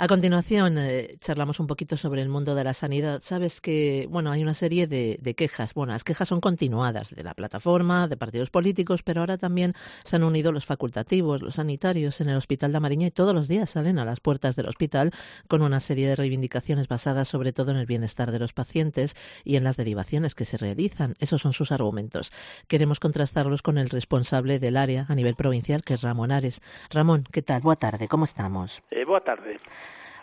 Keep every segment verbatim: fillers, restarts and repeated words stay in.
A continuación, eh, charlamos un poquito sobre el mundo de la sanidad. Sabes que, bueno, hay una serie de, de quejas. Bueno, las quejas son continuadas de la plataforma, de partidos políticos, pero ahora también se han unido los facultativos, los sanitarios en el Hospital da Mariña y todos los días salen a las puertas del hospital con una serie de reivindicaciones basadas sobre todo en el bienestar de los pacientes y en las derivaciones que se realizan. Esos son sus argumentos. Queremos contrastarlos con el responsable del área a nivel provincial, que es Ramón Ares. Ramón, ¿qué tal? Boa tarde, ¿cómo estamos? Eh, boa tarde.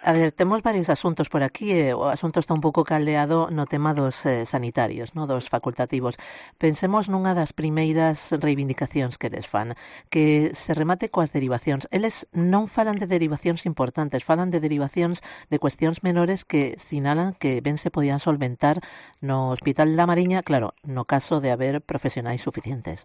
A ver, temos varios asuntos por aquí, eh, o asunto está un pouco caldeado no tema dos eh, sanitarios, no, dos facultativos. Pensemos nunha das primeiras reivindicacións que eles fan, que se remate coas derivacións. Eles non falan de derivacións importantes, falan de derivacións de cuestións menores que sinalan que ben se podían solventar no Hospital da Mariña, claro, no caso de haber profesionais suficientes.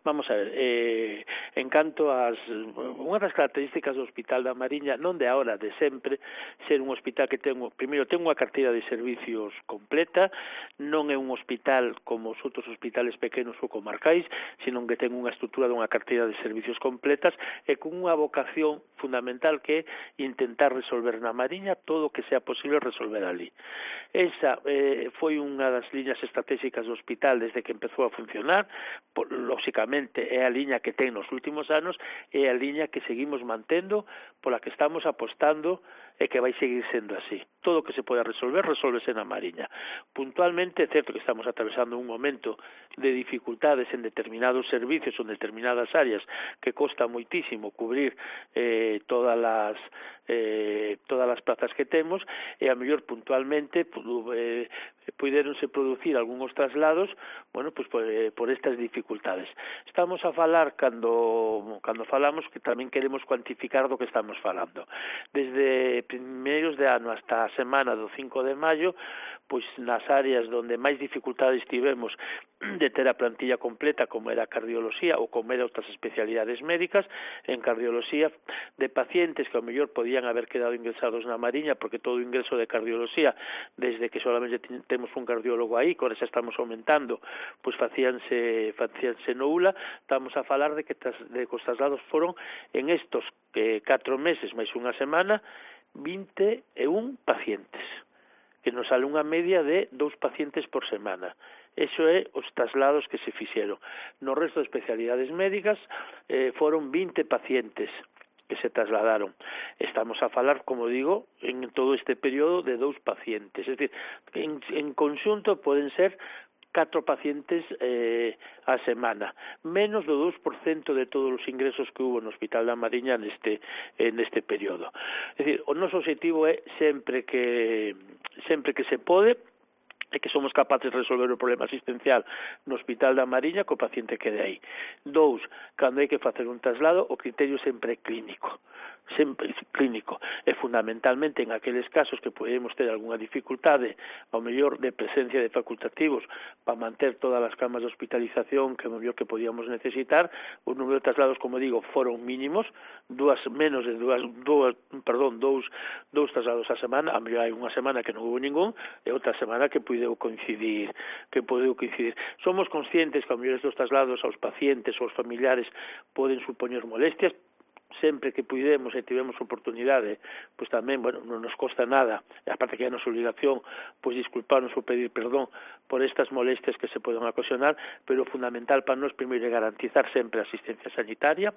Vamos a ver, eh, en canto ás unha das características do Hospital da Mariña, non de agora, de sempre, ser un hospital que ten, primeiro, ten unha carteira de servicios completa, non é un hospital como os outros hospitales pequenos ou comarcais, sino que ten unha estrutura dunha carteira de servicios completas e con unha vocación fundamental que é intentar resolver na Mariña todo o que sea posible resolver ali. Esa eh, foi unha das liñas estratégicas do hospital desde que empezou a funcionar, por, lógicamente é a liña que ten nos últimos anos, é a liña que seguimos mantendo, pola que estamos apostando e que vai seguir sendo así. Todo o que se poda resolver, resolvese na Mariña. Puntualmente, é certo que estamos atravesando un momento de dificultades en determinados servicios ou en determinadas áreas que costa moitísimo cubrir eh, todas as eh, todas as plazas que temos e a mellor puntualmente eh, puderonse producir algúns traslados, bueno, pues por, eh, por estas dificultades. Estamos a falar cando cando falamos que tamén queremos cuantificar do que estamos falando. Desde primeiros de ano hasta a semana do cinco de maio, pois nas áreas onde máis dificultades tivemos de ter a plantilla completa, como era a cardioloxía ou como era outras especialidades médicas, en cardioloxía de pacientes que ao mellor podían haber quedado ingresados na Mariña, porque todo o ingreso de cardioloxía, desde que solamente temos un cardiólogo aí, que ahora xa estamos aumentando, pois facíanse, facíanse no U L A, estamos a falar de que, tras, de que os traslados foron en estos eh, catro meses máis unha semana, vinte e un pacientes, que nos sale unha media de dous pacientes por semana. Eso é os traslados que se fixeron. No resto de especialidades médicas eh, foron vinte pacientes que se trasladaron. Estamos a falar, como digo, en todo este período de dous pacientes. Es decir, en, en conxunto poden ser catro pacientes eh, a semana, menos do dous por cento de todos os ingresos que hubo no Hospital da Mariña neste neste período. É dicir, o noso objetivo é sempre que sempre que se pode e que somos capaces de resolver o problema asistencial no Hospital da Mariña co paciente que de aí. Dous, cando hai que facer un traslado, o criterio sempre é clínico. Sempre clínico, e fundamentalmente en aqueles casos que podemos ter algunha dificultade, ao mellor de presencia de facultativos para manter todas as camas de hospitalización que ao mellor que podíamos necesitar, o número de traslados, como digo, foron mínimos, dúas menos de dúas, dúas perdón, dous, dous traslados a semana, a mellor hai unha semana que non hubo ningún, e outra semana que pudeu coincidir, que pudeu coincidir. Somos conscientes que ao mellor estes traslados aos pacientes ou aos familiares poden supoñer molestias, sempre que pudemos e tivemos oportunidade, pois tamén, bueno, non nos costa nada, e aparte que é a nosa obligación, pois disculparnos ou pedir perdón por estas molestias que se poden ocasionar, pero o fundamental para nós primeiro é garantizar sempre a asistencia sanitaria,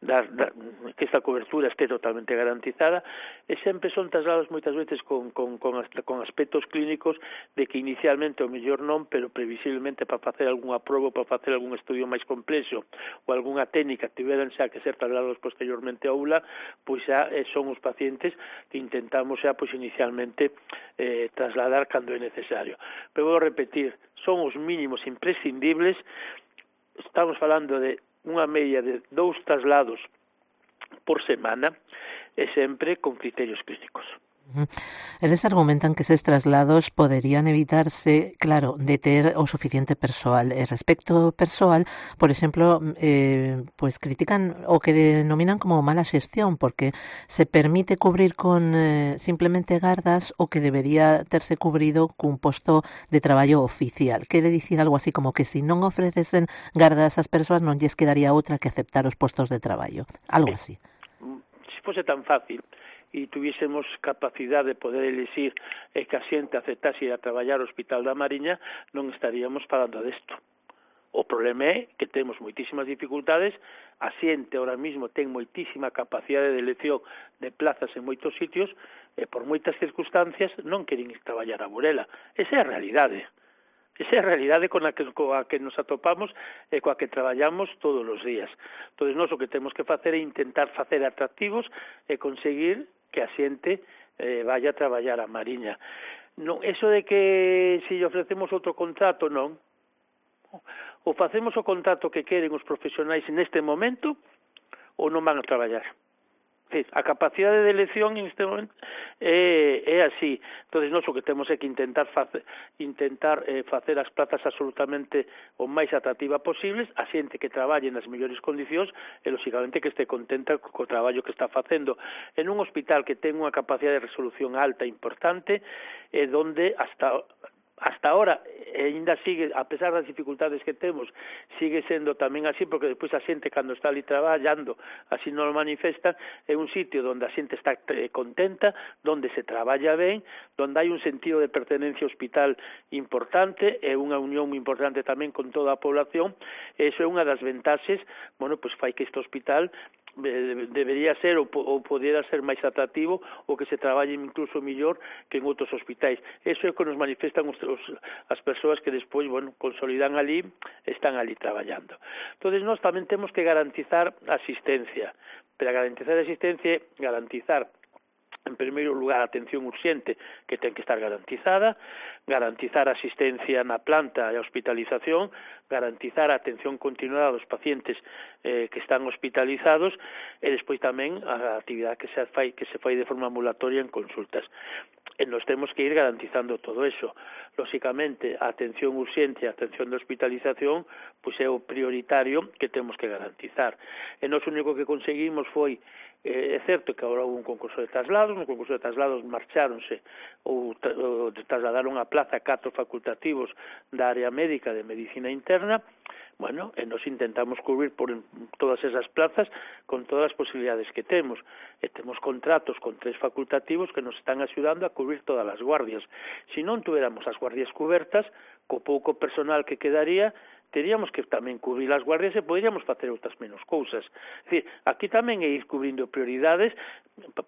dar, dar, que esta cobertura este totalmente garantizada, e sempre son traslados moitas veces con, con, con, con aspectos clínicos de que inicialmente o mellor non, pero previsiblemente para facer algunha proba, para facer algún estudio máis complexo ou algunha técnica tiveran xa que ser traslados posteriormente ao U L A, pois xa eh, son os pacientes que intentamos xa pois inicialmente eh, trasladar cando é necesario. Pero vou repetir, son os mínimos imprescindibles, estamos falando de unha media de dous traslados por semana e sempre con criterios clínicos. Eles argumentan que eses traslados poderían evitarse, claro, de ter o suficiente persoal. E respecto ao persoal, por exemplo, eh, pues critican o que denominan como mala xestión, porque se permite cubrir con eh, simplemente gardas o que debería terse cubrido cun posto de traballo oficial. Quere dicir algo así como que se si non ofrecesen gardas ás persoas non lles quedaría outra que aceptar os postos de traballo. Algo así. Se fose tan fácil, e tuviésemos capacidade de poder elixir e que a xente aceptase ir a traballar ao Hospital da Mariña, non estaríamos falando desto. O problema é que temos moitísimas dificultades, a xente ahora mismo ten moitísima capacidade de elección de plazas en moitos sitios e por moitas circunstancias non queren ir traballar a Burela. Esa é a realidade. Esa é a realidade con a que, coa que nos atopamos e coa que traballamos todos os días. Entón, nós o que temos que facer é intentar facer atractivos e conseguir que a xente eh, vaya a traballar a Mariña. Non, eso de que se lle ofrecemos outro contrato, non. Ou facemos o contrato que queren os profesionais neste momento ou non van a traballar. A capacidade de elección en este momento é, é así. Entón, nós o que temos é que intentar facer, intentar eh, facer as plazas absolutamente o máis atractivas posibles, a xente que traballe nas mellores condicións e, lóxicamente, que este contenta co traballo que está facendo. En un hospital que ten unha capacidade de resolución alta importante, e donde hasta hasta ahora, ainda sigue, a pesar das dificultades que temos, sigue sendo tamén así, porque despois a xente, cando está ali traballando, así non lo manifesta, é un sitio onde a xente está contenta, onde se traballa ben, onde hai un sentido de pertenencia ao hospital importante, e unha unión moi importante tamén con toda a población, e iso é unha das ventaxes, bueno, pois fai que este hospital debería ser ou, ou podera ser máis atractivo ou que se traballe incluso millor que en outros hospitais. Eso é o que nos manifestan os, os, as persoas que despois, bueno, consolidan ali, están ali traballando. Entón, nós tamén temos que garantizar a asistencia. Pero garantizar a asistencia é garantizar, en primeiro lugar, a atención urxente, que ten que estar garantizada, garantizar a asistencia na planta e a hospitalización, garantizar a atención continuada dos pacientes eh, que están hospitalizados e despois tamén a actividade que se fai que se fai de forma ambulatoria en consultas. E nos temos que ir garantizando todo eso. Lóxicamente, a atención urxente e a atención de hospitalización pois é o prioritario que temos que garantizar. E nós o único que conseguimos foi Eh, é certo que agora houve un concurso de traslados, no concurso de traslados marcháronse ou, tra ou trasladaron a plaza catro facultativos da área médica de medicina interna. Bueno, e nos intentamos cubrir por todas esas plazas con todas as posibilidades que temos. E temos contratos con tres facultativos que nos están axudando a cubrir todas as guardias. Se non tuéramos as guardias cubertas, co pouco personal que quedaría, teríamos que tamén cubrir as guardias e poderíamos facer outras menos cousas. É dicir, aquí tamén é ir cubrindo prioridades.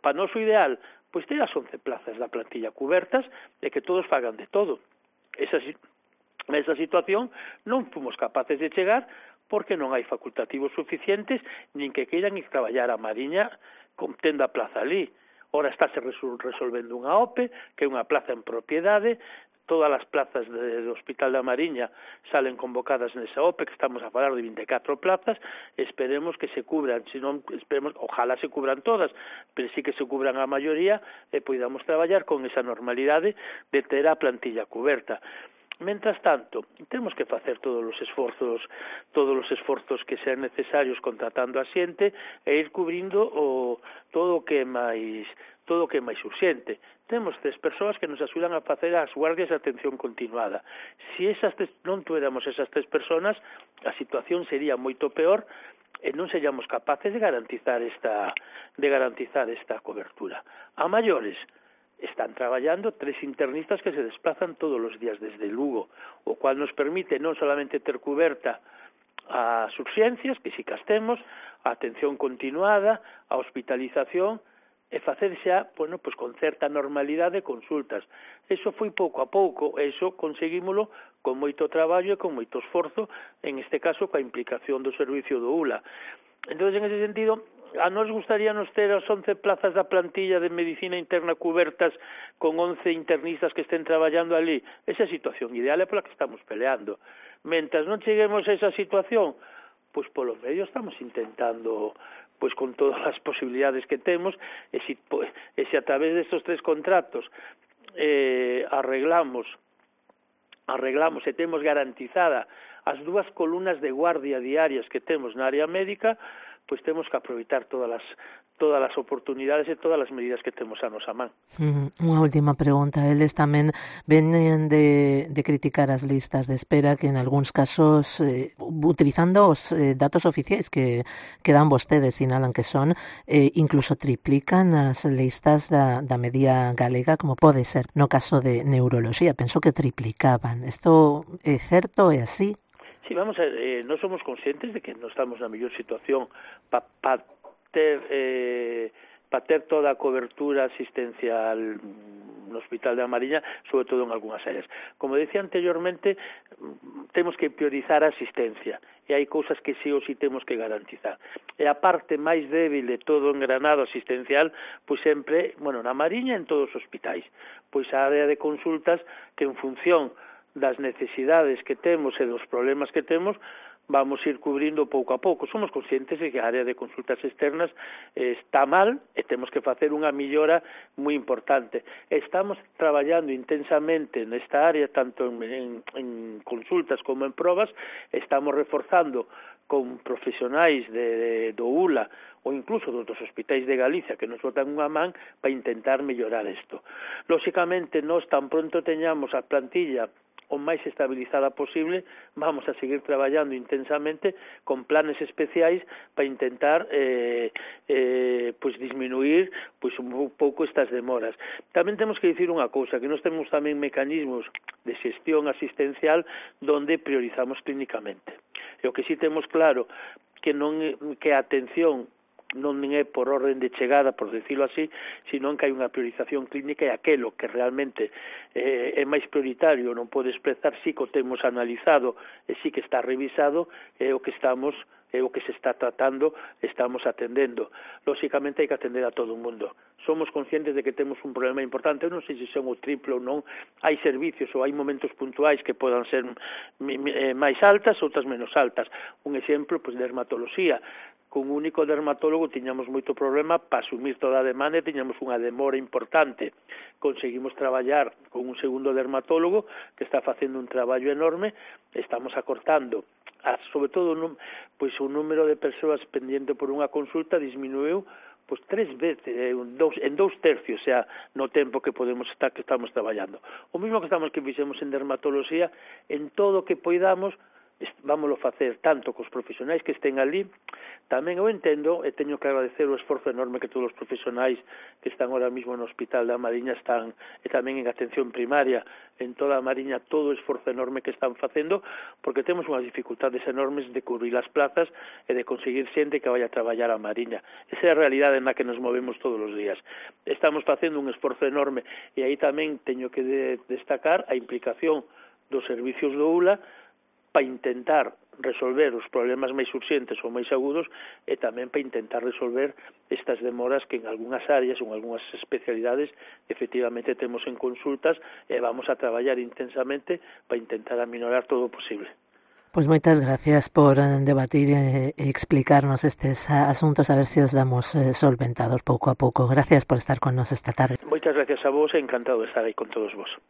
Para noso ideal, pois ter as once plazas da plantilla cubertas e que todos fagan de todo. Esa, esa situación non fomos capaces de chegar porque non hai facultativos suficientes nin que queiran ir traballar a Mariña con tendo a plaza ali. Ora estáse resolvendo unha O P E, que é unha plaza en propiedade. Todas as plazas do Hospital da Mariña salen convocadas nesa O P E, que estamos a falar de vinte e catro plazas, esperemos que se cubran, senón, esperemos, ojalá se cubran todas, pero sí que se cubran a maioría e podamos traballar con esa normalidade de ter a plantilla cuberta. Mentras tanto, temos que facer todos os esforzos, todos os esforzos que sean necesarios contratando a xente e ir cubrindo o todo o que é máis todo o que é máis urxente. Temos tres persoas que nos axudan a facer as guardias de atención continuada. Se esas tres, non tuéramos esas tres personas, a situación sería moito peor e non seríamos capaces de garantizar esta de garantizar esta cobertura. A maiores, están traballando tres internistas que se desplazan todos os días desde Lugo, o cual nos permite non solamente ter cuberta as urxencias, que si que as temos, a atención continuada, a hospitalización, e facer xa, bueno, pois con certa normalidade consultas. Eso foi pouco a pouco, eso conseguímolo con moito traballo e con moito esforzo, en este caso coa implicación do servicio do U L A. Entón, en ese sentido, a nos gustaríanos ter as once plazas da plantilla de medicina interna cubertas con once internistas que estén traballando ali. Esa situación ideal é pola que estamos peleando. Mentras non cheguemos a esa situación, pois polo medio estamos intentando, pois con todas as posibilidades que temos, e se, pois, e se a través destes tres contratos eh, arreglamos arreglamos e temos garantizada as dúas columnas de guardia diarias que temos na área médica, pois temos que aproveitar todas as todas as oportunidades e todas as medidas que temos a nosa man. Mm, unha última pregunta. Eles tamén venen de, de criticar as listas de espera que en algúns casos, eh, utilizando os eh, datos oficiais que, que dan vostedes, sinalan que son, eh, incluso triplican as listas da, da media galega, como pode ser no caso de neuroloxía. Penso que triplicaban. Isto é certo? É así? Sí, vamos a ver, eh, non somos conscientes de que non estamos na mellor situación para pa ter eh, para ter toda a cobertura asistencial no Hospital da Mariña, sobre todo en algunhas áreas. Como decía anteriormente, temos que priorizar a asistencia, e hai cousas que sí ou sí temos que garantizar. E a parte máis débil de todo o engranado asistencial, pois sempre, bueno, na Mariña en todos os hospitais, pois a área de consultas que en función das necesidades que temos e dos problemas que temos, vamos ir cubrindo pouco a pouco. Somos conscientes de que a área de consultas externas está mal e temos que facer unha millora moi importante. Estamos traballando intensamente nesta área, tanto en, en, en consultas como en probas, estamos reforzando con profesionais de, de, do U L A ou incluso dos hospitais de Galicia que nos botan unha man para intentar mellorar isto. Lóxicamente, nós tan pronto teñamos a plantilla o máis estabilizada posible, vamos a seguir traballando intensamente con planes especiais para intentar eh, eh, pois disminuir pois un pouco estas demoras. Tamén temos que dicir unha cousa, que nós temos tamén mecanismos de xestión asistencial donde priorizamos clínicamente. E o que sí temos claro que non que a atención non é por orden de chegada, por decirlo así, sino que hai unha priorización clínica e aquelo que realmente eh, é máis prioritario, non pode expresar, sí que o temos analizado e sí que está revisado, é o que estamos é o que se está tratando, estamos atendendo. Lóxicamente hai que atender a todo o mundo. Somos conscientes de que temos un problema importante, eu non sei se son o triple ou non, hai servicios ou hai momentos puntuais que podan ser máis altas, outras menos altas. Un exemplo, pois, de dermatoloxía. Con un único dermatólogo tiñamos moito problema para asumir toda a demanda e tiñamos unha demora importante. Conseguimos traballar con un segundo dermatólogo que está facendo un traballo enorme, estamos acortando, a, sobre todo, pois o número de persoas pendiente por unha consulta disminuiu pois tres veces, en dous, en dous tercios, o sea, no tempo que podemos estar que estamos traballando. O mesmo que estamos que fixemos en dermatoloxía, en todo o que poidamos, vámoslo facer tanto cos profesionais que estén ali. Tamén eu entendo e teño que agradecer o esforzo enorme que todos os profesionais que están ahora mismo no Hospital da Mariña están, e tamén en atención primaria en toda a Mariña, todo o esforzo enorme que están facendo, porque temos unhas dificultades enormes de cubrir as plazas e de conseguir xente que vaya a traballar a Mariña. Esa é a realidade na que nos movemos todos os días. Estamos facendo un esforzo enorme e aí tamén teño que de destacar a implicación dos servicios do U L A para intentar resolver os problemas máis urxentes ou máis agudos e tamén para intentar resolver estas demoras que en algunhas áreas ou en algunhas especialidades efectivamente temos en consultas e vamos a traballar intensamente para intentar aminorar todo o posible. Pois moitas gracias por debatir e explicarnos estes asuntos, a ver se os damos solventados pouco a pouco. Gracias por estar con nos esta tarde. Moitas gracias a vos e encantado de estar aí con todos vos.